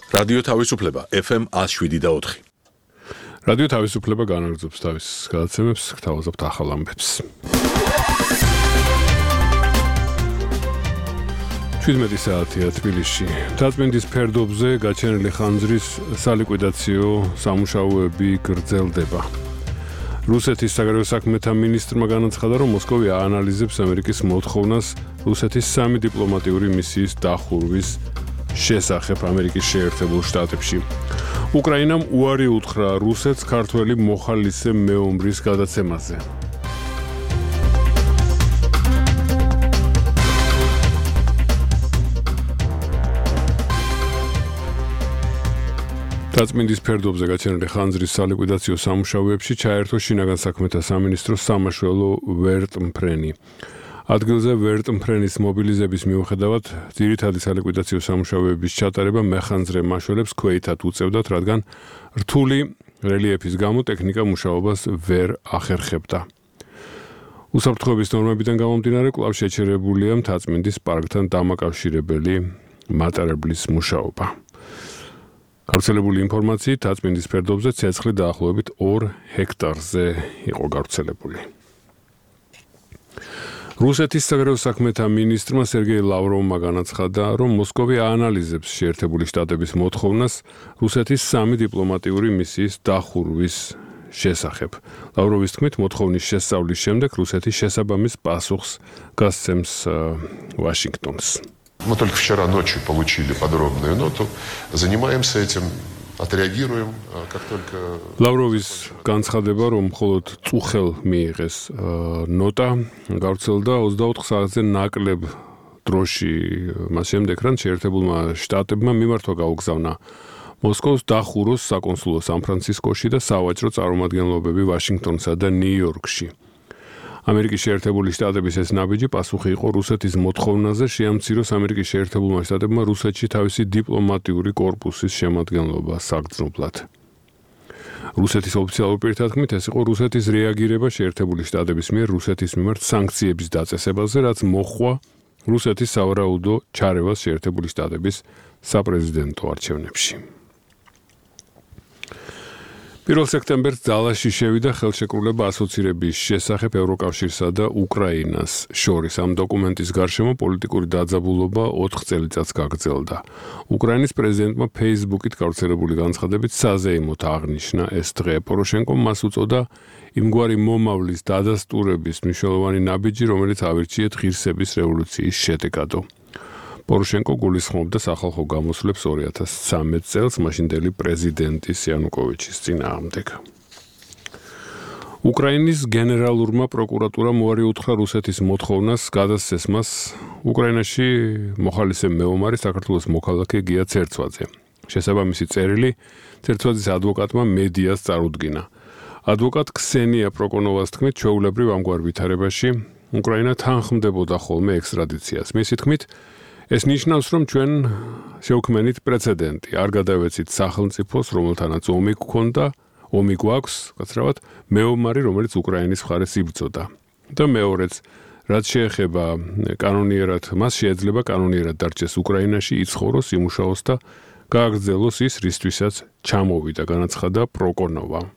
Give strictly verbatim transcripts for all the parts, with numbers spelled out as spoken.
რადიო თავისუფლება ეფ ემ one oh seven და four. რადიო თავისუფლება განაგრძობს თავის გადაცემებს, გთავაზობთ ახალ ამბებს. შვიდმეტი საათია თბილისში. მთაწმინდის ფერდობზე გაჩენილი ხანძრის სალიკვიდაციო სამუშაოები გრძელდება. რუსეთის საგარეო საქმეთა მინისტრმა განაცხადა, რომ მოსკოვი აანალიზებს ამერიკის მოთხოვნას რუსეთის სამი დიპლომატიური მისიის დახურვის შესახებ ამერიკის შეერთებულ შტატებში. უკრაინამ უარი უთხრა რუსეთს ქართველი მოხალისე მეომრის გადაცემაზე. მთაწმინდის ფერდობზე გაჩენილი ხანძრის სალიკვიდაციო სამუშაოებში ჩაერთო შინაგან საქმეთა სამინისტროს სამაშველო ვერტმფრენი. ადგილზე ვერტმფრენის მობილიზების მიუხედავად ძირითადი სალიკვიდაციო სამუშაოების ჩატარება მეხანძრე მაშველებს ქვეითად უწევდათ, რადგან რთული რელიეფის გამო ტექნიკა მუშაობას ვერ ახერხებდა. უსაფრთხოების ნორმებიდან გამომდინარე კვლავ შეჩერებულია მთაწმინდის პარკთან დამაკავშირებელი მატარებლის მუშაობა. გავრცელებული ინფორმაციით მთაწმინდის ფერდობზე ცეცხლი დაახლოებით ორ ჰექტარზე იყო გავრცელებული. რუსეთის საგარეო საქმეთა მინისტრმა სერგეი ლავროვმა განაცხადა, რომ მოსკოვი აანალიზებს შეერთებული შტატების მოთხოვნას რუსეთის სამი დიპლომატიური მისიის დახურვის შესახებ. ლავროვის თქმით, მოთხოვნის შესწავლის შემდეგ რუსეთი შესაბამის პასუხს გასცემს ვაშინგტონს. Мы только вчера ночью получили подробную ноту, занимаемся этим, отреагируем, как только... ლავროვის განცხადება, რომ მხოლოდ წუხელ მიიღეს ნოტა, გავრცელდა ოცდაოთხ საათზე ნაკლებ დროში მას შემდეგ, რან შეერთებულმა შტატებმა მიმართვა გაუგზავნა მოსკოვს დახუროს საკონსულო სან-ფრანცისკოში და სავაჭრო წარმომადგენლობები ვაშინგტონსა და ნიუ-იორკში. ამერიკის შეერთებული შტატების ეს ნაბიჯი პასუხი იყო რუსეთის მოთხოვნაზე შეამციროს ამერიკის შეერთებულმა შტატებმა რუსეთში თავისი დიპლომატიური კორპუსის შემადგენლობა საგრძნობლად. რუსეთის ოფიციალურ პირთა თქმით, ეს იყო რუსეთის რეაგირება შეერთებული შტატების მიერ რუსეთის მიმართ სანქციების დაწესებაზე, რაც მოჰყვა რუსეთის სავარაუდო ჩარევას შეერთებული შტატების საპრეზიდენტო არჩევნებში. პირველ სექტემბერს ძალაში შევიდა ხელშეკრულება ასოცირების შესახებ ევროკავშირსა და უკრაინას შორის. ამ დოკუმენტის გარშემო პოლიტიკური დაძაბულობა ოთხ წელიწადს გაგრძელდა. უკრაინის პრეზიდენტმა ფეისბუქით გავრცელებული განცხადებით საზეიმოდ აღნიშნა ეს დღე. პოროშენკომ მას უწოდა იმგვარი მომავლის დადასტურების მნიშვნელოვანი ნაბიჯი, რომელიც ავირჩიეთ ღირსების რევოლუციის შედეგადო. პოროშენკო გულისხმობდა სახალხო გამოსვლებს ორი ათას ცხრამეტ წელს მაშინდელი პრეზიდენტის იანუკოვიჩის წინააღმდეგ. უკრაინის გენერალურმა პროკურატურამ უარი უთხრა რუსეთის მოთხოვნას გადასცეს მას უკრაინაში მოხალისე მეომარი საქართველოს მოქალაქე გია ცერცვაძე. შესაბამისი წერილი ცერცვაძის ადვოკატმა მედიას წარუდგინა. ადვოკატ ქსენია პროკონოვას თქმით, ჩვეულებრივ ამგვარ ვითარებაში უკრაინა თანხმდებოდა ხოლმე ექსტრადიციას. მისი თქმით, ეს ნიშნავს, რომ ჩვენ შევქმნით პრეცედენტი. არ გადავეცით სახელმწიფოს, რომელთანაც ომი გქონდა, ომი გვაქვს, გაცრავად, მეომარი, რომელიც უკრაინის მხარეს იბრძოდა. და მეორეც, რაც შეეხება კანონიერად, მას შეიძლება კანონიერად დარჩეს უკრაინაში, იცხოვროს, იმუშაოს და გააგრძელოს ის, რისთვისაც ჩამოვიდა, განაცხადა პროკონოვა.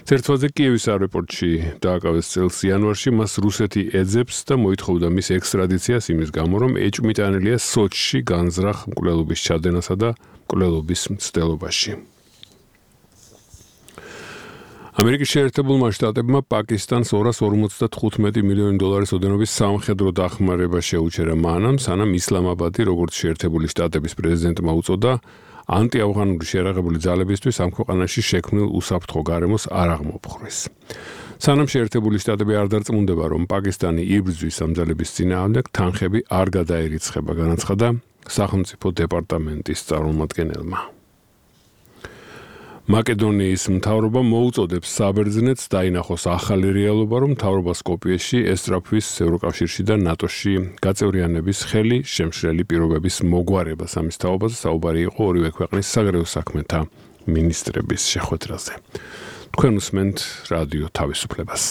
ცერცვაძე კიევის აეროპორტში დააკავეს წელს იანვარში, მას რუსეთი ეძებს და მოითხოვდა მის ექსტრადიციას იმის გამო, რომ ეჭვმიტანილია სოჩში განზრახ მკვლელობის ჩადენასა და მკვლელობის მცდელობაში. ამერიკის შეერთებულმა შტატებმა პაკისტანს ორას ორმოცდათხუთმეტი მილიონი დოლარის ოდენობის სამხედრო დახმარება შეუჩერა მანამ, სანამ ისლამაბადი, როგორც შეერთებული შტატების პრეზიდენტმა უწოდა, ანტიაფღანური შეერაღებული ძალებისთვის ამ ქვეყანაში შექმნილ უსაფრთხო გარემოს არ აღმოფხვრეს. სანამ შეერთებული შტატები არ დარწმუნდება, რომ პაკისტანი იბრძვის ამ ძალების წინააღმდეგ, თანხები არ გადაერიცხება, განაცხადა სახელმწიფო დეპარტამენტის წარმომადგენელმა. მაკედონიის მთავრობა მოუწოდებს საბერძნეთს დაინახოს ახალი რეალობა, რომ მთავრობა სკოპიეში ესწრაფვის ევროკავშირში და ნატოში გაწევრიანების ხელი შემშლელი პირობების მოგვარებას. ამის თაობაზე საუბარი იყო ორივე ქვეყნის საგარეო საქმეთა მინისტრების შეხვედრაზე. თქვენ უსმენთ რადიო თავისუფლებას.